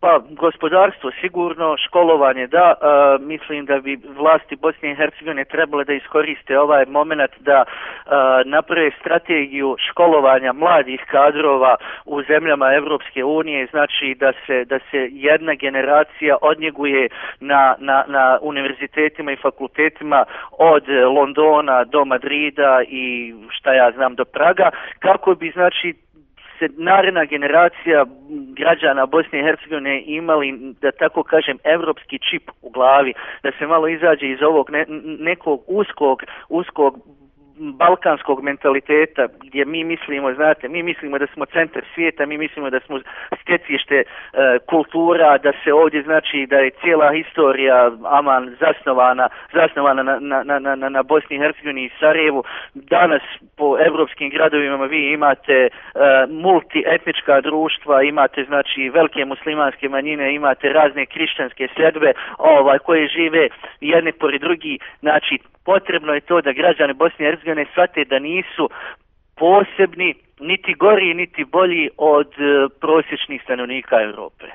Pa gospodarstvo sigurno, školovanje da, mislim da bi vlasti Bosne i Hercegovine trebale da iskoriste ovaj moment da naprave strategiju školovanja mladih kadrova u zemljama Evropske unije, znači da se jedna generacija odnjeguje na univerzitetima i fakultetima od Londona do Madrida i šta ja znam do Praga, kako bi znači naredna generacija građana Bosne i Hercegovine imali, da tako kažem, evropski čip u glavi, da se malo izađe iz ovog nekog uskog balkanskog mentaliteta gdje mi mislimo, znate, mi mislimo da smo centar svijeta, mi mislimo da smo stjecište kultura, da se ovdje znači da je cijela historija aman zasnovana na Bosni i Hercegovini i Sarajevu. Danas po evropskim gradovima vi imate multietnička društva, imate znači velike muslimanske manjine, imate razne kršćanske sljedbe koje žive jedne pored drugi, znači potrebno je to da građani Bosne i Hercegovine shvate da nisu posebni, niti gori, niti bolji od prosječnih stanovnika Europe.